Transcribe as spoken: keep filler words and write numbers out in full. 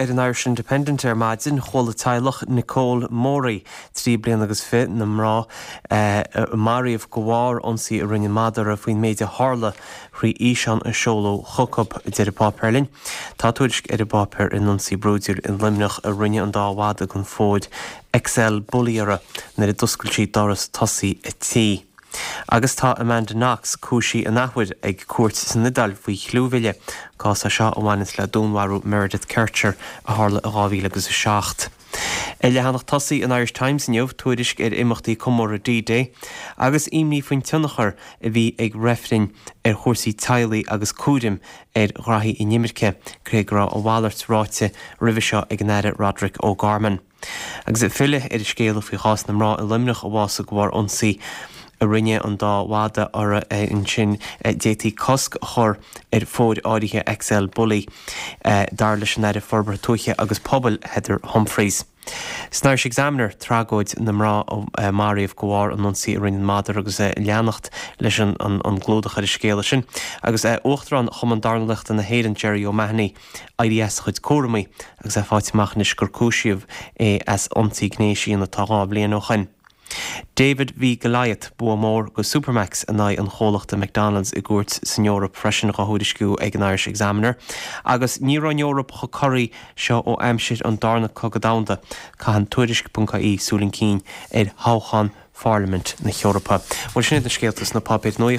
ar an Irish Independent ar maidin chuala teaghlach Nicole Morey trí bliana agus fiche na mná eh, maraíodh de bharr ionsaí a rinne madra faoin méid a tharla thrí fhíseán a seoladh chucu deir an páipéar linn. Tá tuairisc ar an bpáipéar an ionsaí brúidiúil i Luimneach a rinne an dá mhadra den phór XL Bully uirthi nuair a d'oscail sí doras tosaigh a tí. Agus tá Amanda Knox cúisithe an athuair ag cúirt san Iodáil faoi chlúmhilleadh, cás é seo a bhaineann le dúnmharú Meredith Kercher a tharla i dhá mhíle agus a seacht. Ar leathanach tosaigh an Irish Times inniu tuairisc ar imeachtaí comórtha D-Day agus imní faoin tionchar a bhí ag reifrinn ar chúrsaí teaghlaigh agus cúraim ar ghraithí inimirce, cé go raibh a mhalairt ráite roimhe seo ag an Aire Roderick O'Gorman. Agus ag filleadh ar an scéal faoi chás na mná i Luimneach a bhásaigh de bharr ionsaí a rinne an dá mhadra uirthi ansin d'fhéadfaí cosc a chur ar phóir áirithe XL Bully dar leis an Aire Forbartha Tuaithe agus Pobail Heather Humphreys. San Irish Examiner tragóid na mná a maraíodh de bharr an ionsaí a rinne an madra agus leanacht leis an an gclúdach ar an scéal sin, agus Uachtarán Chumann Dornálaíochta na hÉireann Jerry O'Mahony éirithe as a chuid cúraimí agus é faighte amach anois gur cúisíodh é as ionsaí gnéis atá dhá bhliain ó shin. David v Goliath bua mór do Supermacs in aghaidh an chomhlachta McDonald's i gcúirt san Eoraip freisin á thuairisciú ag an Irish Examiner, agus ní raibh an Eoraip chomh corraithe seo ó aimsir an darna cogadh domhanda, caitheann tuairisc ponc ie súil chun cinn ar thoghchán Pharlaimint na hEorpa. Bhuel sin iad na scéalta sna páipéir nuaíochta.